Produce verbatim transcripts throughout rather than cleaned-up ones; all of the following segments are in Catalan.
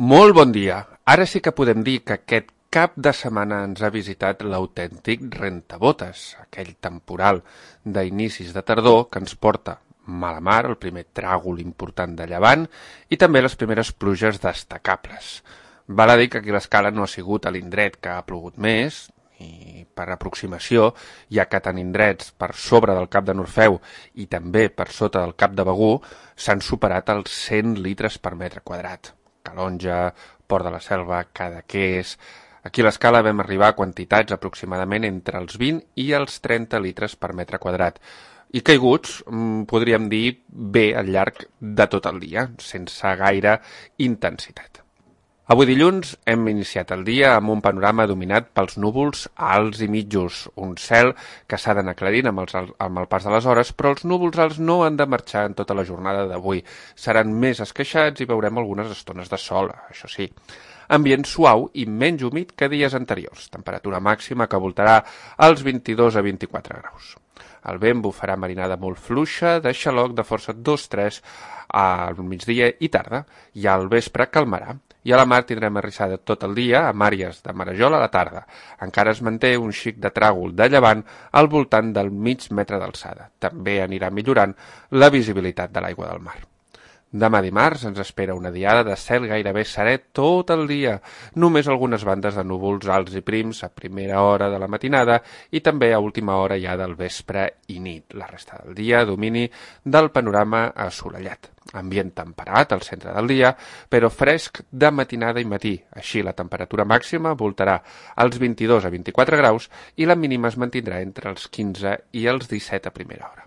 Molt bon dia. Ara sí que podem dir que aquest cap de setmana ens ha visitat l'autèntic rentabotes, aquell temporal d'inicis de tardor que ens porta mala mar, el primer tràgol important de llevant i també les primeres pluges destacables. Val a dir que aquí l'escala no ha sigut a l'indret que ha plogut més, i per aproximació, ja que tant indrets per sobre del Cap de Norfeu i també per sota del Cap de Begur s'han superat els cent litres per metre quadrat. Calonja, Port de la Selva, Cadaqués... Aquí a l'escala vam arribar a quantitats aproximadament entre els vint i els trenta litres per metre quadrat. I caiguts, podríem dir, bé al llarg de tot el dia, sense gaire intensitat. Avui dilluns hem iniciat el dia amb un panorama dominat pels núvols alts i mitjos, un cel que s'ha d'anar aclarint amb, els, amb el pas de les hores, però els núvols alts no han de marxar en tota la jornada d'avui. Seran més esqueixats i veurem algunes estones de sol, això sí. Ambient suau i menys humit que dies anteriors, temperatura màxima que voltarà als vint-i-dos a vint-i-quatre graus. El vent bufarà marinada molt fluixa, de xaloc de força dos tres al migdia i tarda, i al vespre calmarà. I a la mar tindrem arrissada tot el dia, amb àrees de marejol a la tarda. Encara es manté un xic de tràgol de llevant al voltant del mig metre d'alçada. També anirà millorant la visibilitat de l'aigua del mar. Demà dimarts ens espera una diada de cel gairebé serè tot el dia, només algunes bandes de núvols alts i prims a primera hora de la matinada i també a última hora ja del vespre i nit. La resta del dia domini del panorama assolellat. Ambient temperat al centre del dia, però fresc de matinada i matí. Així la temperatura màxima voltarà als vint-i-dos a vint-i-quatre graus i la mínima es mantindrà entre els quinze i els disset a primera hora.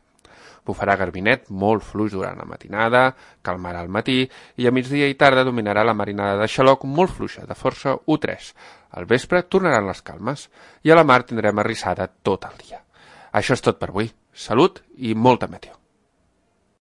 Bufarà garbinet molt fluix durant la matinada, calmarà al matí i a migdia i tarda dominarà la marinada de xaloc molt fluixa, de força u tres. Al vespre tornaran les calmes i a la mar tindrem arrissada tot el dia. Això és tot per avui. Salut i molta meteo.